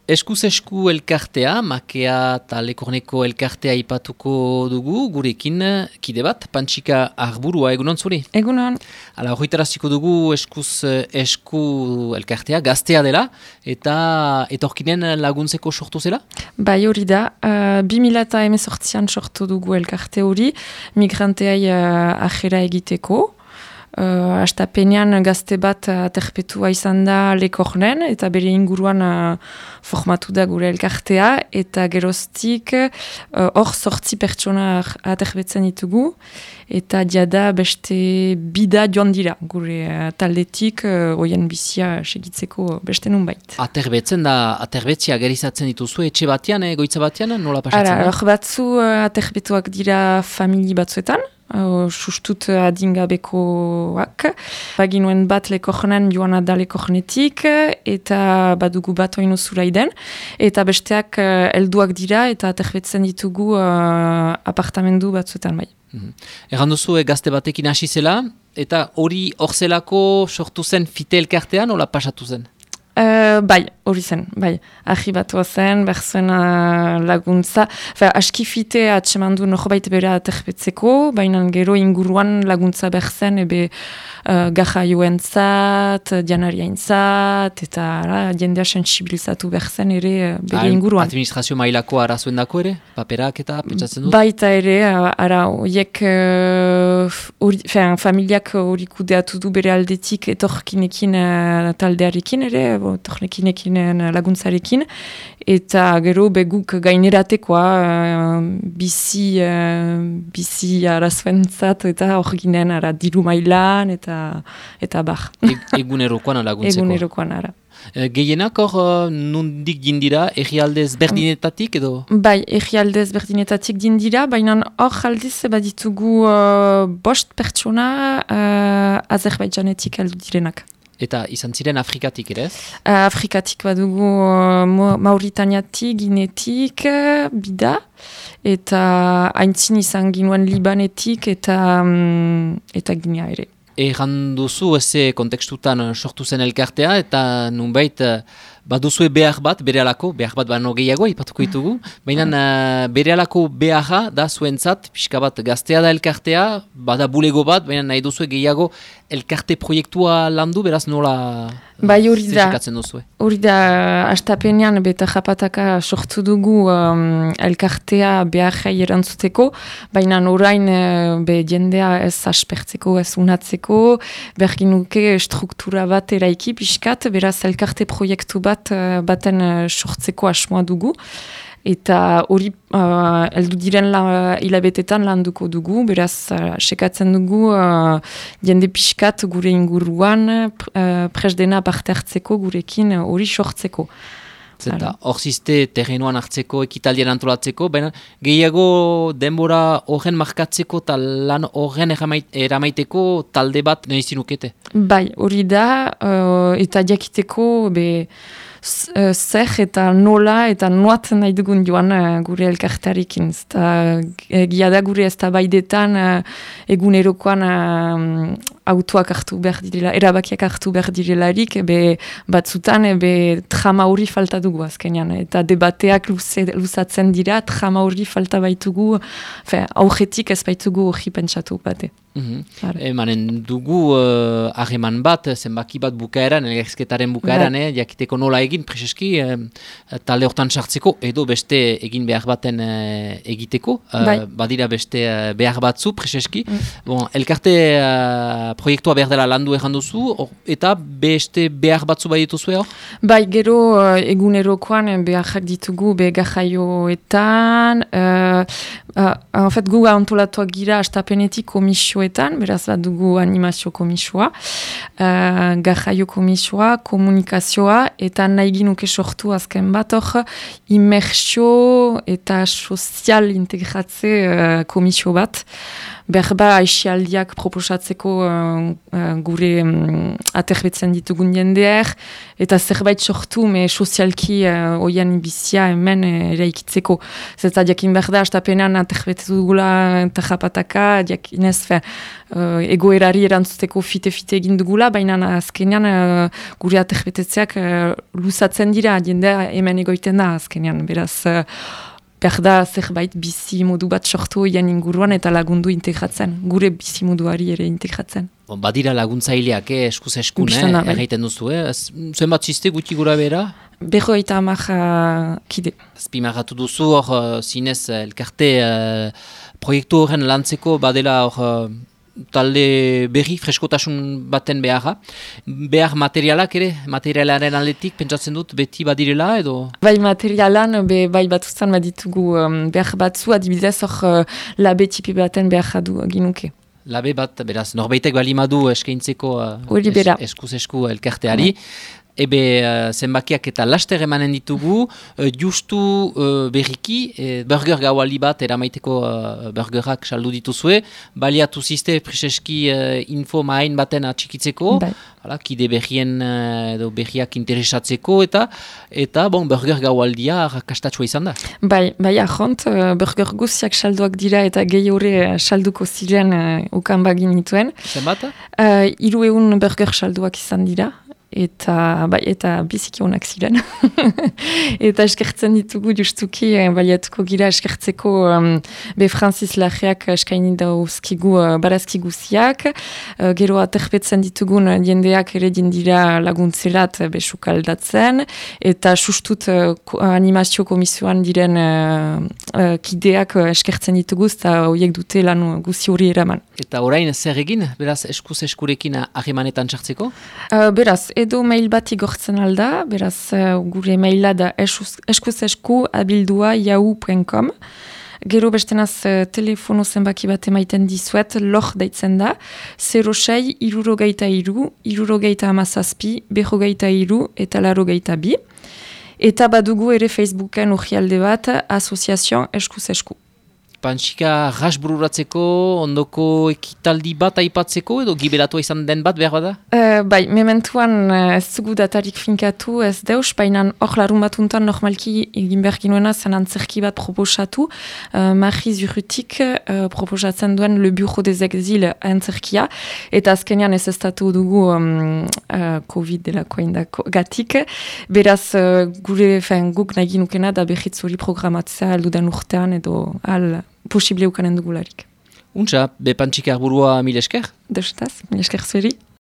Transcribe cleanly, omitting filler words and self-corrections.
Eskuz esku elkartea, makea eta lekorneko elkartea ipatuko dugu, gurekin kide bat, Pantxika Arburua, egunon zuri? Egunon. Hala, horretaraziko dugu eskuz esku elkartea, gaztea dela, eta etorkinen laguntzeko sortu zela? Bai hori da, 2018an sortu dugu elkarte hori, migranteai ajera egiteko. Astapenean gazte bat aterpetua izan da Lekornen eta bere inguruan formatu da gure elkartea eta geroztik hor 8 pertsona aterbetzen ditugu eta jada beste bida joan dira gure taldetik hoien bizia segitzeko beste nunbait. Aterbetzen da, aterbetzia gerizatzen dituzu etxe batean, goitza batean, nola pasatzen da? Hor batzu aterbetuak dira famili batzuetan, sustut adingabekoak. Baginuen bat Lekornen joana da Lekornetik eta badugu bat oinu zuraiden. Eta besteak helduak dira eta aterbetzen ditugu apartamendu batzuetan bai. Egan duzu gazte batekin hasi zela eta hori hor zelako sortu zen fite elkartean, nola pasatu zen? Bai, hori zen, bai. Ahibatua zen, berzuen laguntza. Aski fite atsemandu norbait bera aterbetzeko, baina gero inguruan laguntza berzen, ebe gajaioentzat, janariaintzat, eta jendea sensibilizatu berzen ere bere inguruan. Administrazio mailako arazoendako ere? Paperak eta pentsatzen dut? Baita ere, horiek familiak hori kudeatu du bere aldetik etorkinekin taldearekin ere, etorkinekin laguntzarekin, eta gero beguk gaineratekoa bizi arazoentzat eta hor ginen diru mailan eta bar. Egunerokoan laguntzeko? Egunerokoan ara. Gehienak hor nondik dindira, egialdez berdinetatik edo? Bai, egialdez berdinetatik dindira, baina hor aldiz baditugu 5 pertsona Azerbaidjanetik aldu direnak. Eta izan ziren Afrikatik ere ez? Afrikatik badugu Mauritaniatik, Ginetik, bida, eta haintzin izan ginuen Libanetik eta Ginea ere. Egan duzu eze kontekstutan sortu zen elkartea eta nunbait baduzue behar bat, berehalako, behar bat bano gehiago, ipatuko ditugu, baina berehalako beharra da zuentzat, pixka bat gaztea da elkartea, bada bulego bat, baina nahi duzue gehiago elkarte proiektua landu, beraz nola zesikatzen duzue? Hori da, astapenean beta japataka sortu dugu elkartea beharrai erantzuteko, baina orain jendea ez aspertzeko, ez unatzeko, berginuke struktura bat eraiki pixkat, beraz elkarte proiektu baten sortzeko asmoa dugu. Eta hori heldu diren hilabetetan landuko dugu, beraz sekatzen dugu jende pixkat gure inguruan presdena parte hartzeko gurekin hori sortzeko. Zeta, hor ziste terrenuan hartzeko, ekitaldien antolatzeko, baina gehiago denbora horren markatzeko eta lan horren eramaiteko talde bat nahi zinukete? Bai, hori da, eta jakiteko zer eta nola eta noat nahi dugun joan gure elkartarekin. Gia da gure ez da baidetan egunerokoan autoak hartu behar direla, erabakiak hartu behar direlarik, batzutan trama hori falta dugu azkenean. Eta debateak luzatzen dira, trama hori falta baitugu, aurretik ez baitugu hori pentsatu bate. Emanen dugu harreman bat, zenbaki bat bukaeran, elgerzketaren bukaeran, jakiteko nola egin, preseski, talde hortan sartzeko, edo beste egin behar baten egiteko, badira beste behar batzu, preseski. Elkarte proiektua behar dela landu egan duzu, eta beste behar batzu bai dituzue hor? Bai, gero egunerokoan beharrak ditugu gajaioetan, gu antolatuak gira astapenetik komisioetan, beraz bat dugu animazio komisioa, gajaio komisioa, komunikazioa, eta nahi ginuke sortu azken bat hor, immersio eta sozial integratze komisio bat, berba aixialdiak proposatzeko gure aterbetzen ditugun jendeak, eta zerbait sortu, sozialki oian bizia hemen eraikitzeko. Zeta jakin behar da, astapenean aterbetetu dugula eta japataka, jakinez egoerari erantzuteko fite-fite egin dugula, baina azkenean gure aterbetetzeak luzatzen dira, jendea hemen egoiten da azkenean, beraz behar da zerbait bizi modu bat sortu oian inguruan eta lagundu integratzen, gure bizi moduari ere integratzen. Badira laguntzaileak, eskuz eskun, erraiten duzu, zenbat ziste guti gura bera? 50 kide. Azpimarratu duzu, hor zinez elkarte proiektu horren lantzeko badela hor talde berri, freskotasun baten beharra. Behar materialak ere, materialaren aldetik, pentsatzen dut, beti badirela edo? Bai materialan, bai batuztan baditugu behar batzu, adibidez hor labe tipi baten behar ginuke. Labe bat, beraz, norbeitek balimadu eskaintzeko eskuz esku elkarteari. Ebe zenbakiak eta laster emanen ditugu, justu berriki, burger gaualdi bat eramaiteko burgerak saldu dituzue, baliatu ziste preseski info main baten atxikitzeko, kide berrien edo berriak interesatzeko eta bon, burger gaualdia rakastatsua izan da. Bai, ahont, burger guziak salduak dira eta gehi hori salduko ziren ukan bagin nituen. Zenbat? 300 burger salduak izan dira. Eta biziki honak ziren. Eta eskertzen ditugu justuki, baliatuko gira eskertzeko be Francis Larreak eskaini dauzkigu barazki guziak. Gero aterpetzen ditugun jendeak ere dira laguntzerat besuk aldatzen. Eta sustut animazio komisioan diren kideak eskertzen ditugu, eta horiek dute lan guzi hori eraman. Eta orain zer egin, beraz eskuz eskurekin ahemanetan txartzeko? Beraz, edo mail bat igortzen alda, beraz gure maila da eskuzesku@yahoo.com. Gero bestenaz telefono zenbaki bat emaiten dizuet, lor daitzen da, 06 63 67 43 eta 82. Eta badugu ere Facebooken orrialde bat, asoziazioan eskuzesku. Pantxika rasbururatzeko, ondoko ekitaldi bat aipatzeko, edo gibelatua izan den bat behar bada? Bai, mementuan ez dugu datarik finkatu, ez deus, baina hor larun batuntan normalki egin behar ginoena zen antzerki bat proposatu. Mariz Urrutik proposatzen duen Le Bureau des Exils antzerkia, eta azkenean ez estatu dugu COVID delakoa indako gatik. Beraz, guk nahi ginukena da behitz hori programatzea aldudan urtean edo posible ukanen dugularik. Untxa, be Pantxika arburua mil esker? Deustaz, mil esker zueri.